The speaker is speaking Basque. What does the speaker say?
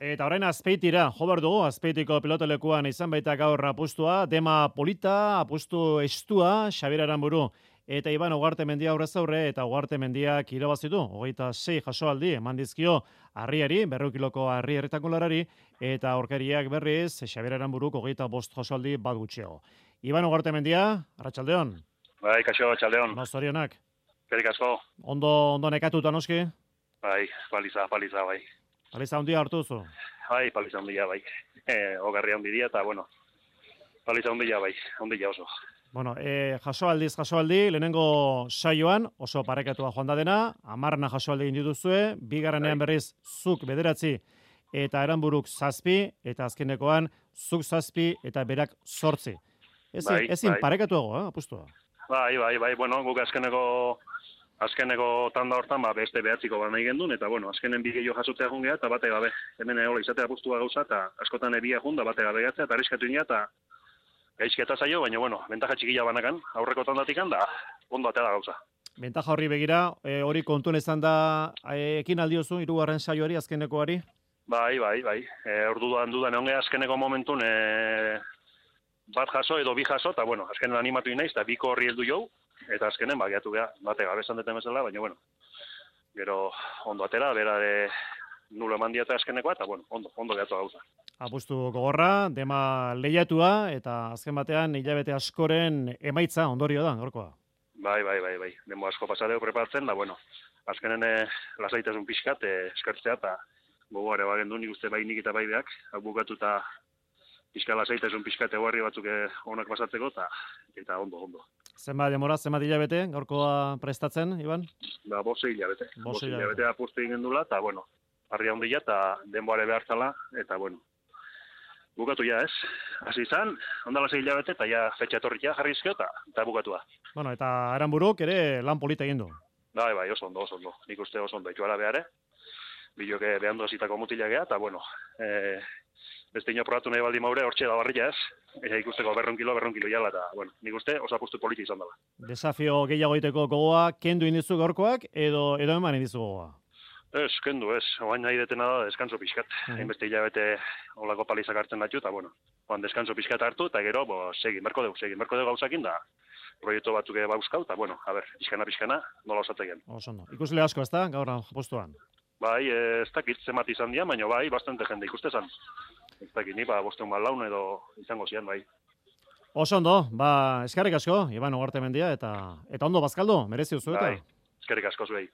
Eta orain Azpeitira, jo behar dugu, Azpeitiko pilotalekuan izan baita gaur apustua, Dema Polita, apustu estua, Xabier Aranburu eta Iban Ugartemendia aurrez aurre, eta Ugartemendiak irabazitu, 26 jasoaldi eman dizkio Harriari, 200 kiloko Harri erretakularari, eta aurkariak berriz, Xabier Aranburuk 25 jasoaldi bat gutxiago. Iban Ugartemendia, arratsaldeon. Bai, kaixo, arratsaldeon. Zorionak. Eskerrik asko. Ondo nekatuta noski? Bai, paliza, bai. Paliza handia hartu duzu? Bai, paliza handia, bai. Ogarria handia eta, bueno, paliza handia, bai, handia oso. Bueno, jasoaldi, lehenengo saioan oso parekatua joan da dena, 10 jasoaldi egin dituzue, bigarrenean berriz zuk 9 eta Aranburuk 7, eta azkenekoan zuk 7 eta berak 8. Ezin parekatuago, apustua. Bai, bueno, guk azkeneko tanda hortan, beste 9 bat nahi gendun, eta, bueno, azkenen bi gehiago jasotzea jungea, eta bate gabe. Hemen egola izatea apustua gauza, eta askotan ebia junda, bate gabe gatzea, eta arriskatu ina, eta gaizketa zaio, baina, bueno, bentaja txikila banakan, aurreko tandatikan, da, ondo atea da gauza. Bentaja horri begira, hori kontuen izan da, ekin aldiozu, 3. saioari, azkenekoari? Bai. Orduan onge azkeneko momentun, bat jaso edo bi jaso, eta, bueno, azkenen animatu inaiz, eta biko horri heldu jau, eta azkenen, gehiatu geha, bate gabe esan deten bezala, baina, bueno, gero ondo atera, bera de nulo eman diata azkenekoa, eta, bueno, ondo gehiatu gauza. Apustu gogorra, Dema lehiatua, eta azken batean hilabete askoren emaitza ondorio da, gaurkoa. Bai. Demo asko pasadeo preparatzen, da, bueno, azkenen lasaitasun pixkat, eskertzea, eta gogoare bagendu nik uste bai nik eta bai beak, bukatu eta pixka lasaitasun pixkat eguarri batzuk onak pasatzeko, eta ondo. Zenbat demora, zenbat hilabete, gaurkoa prestatzen, Iban? 5 hilabete. 5 hilabete apustu egin dula, eta, bueno, harria ondila, eta denboare behartzala, eta, bueno, bukatu ja, ez? Hasi izan, ondala 6 hilabete, eta ja fetxa etorrikia jarri izkio, eta bukatua. Bueno, eta Aranburuk ere lan polita egin du. Bai, oso ondo. Nik uste oso ondo, ituara behare. Biloke behandu azitako mutilak geha, eta, bueno, beste ino probatu nahi baldi maure, hortxe da barria, ez? Eta ikusteko 200 kilo jala, eta, bueno, nik uste oso apustu politi izan dela. Desafio gehiago egiteko gogoa, kendu indizu gaurkoak, edo eman indizu gogoa? Ez, kendu, ez. Oain nahi detena da, deskanso pixkat. Hainbeste hilabete olako palizak hartzen datu, eta, bueno, deskanso pixkat hartu, eta gero, segin berko dugu gauzakin, da, proiektu batzuk bauzkau, eta, bueno, a ber, pixkana, nola osatzeken. Oso ondo. Ikusle asko, ez da, gaur postuan? Bai, ez dakit zemat izan dian, baina bai, bastante jende ikustezan. Ez dakit, ni, 500 laun edo izango zian, bai. Oso ondo, eskerrik asko, Iban Ugartemendia, eta ondo bazkaldo, merezi duzu eta? Bai, eskerrik asko zuei.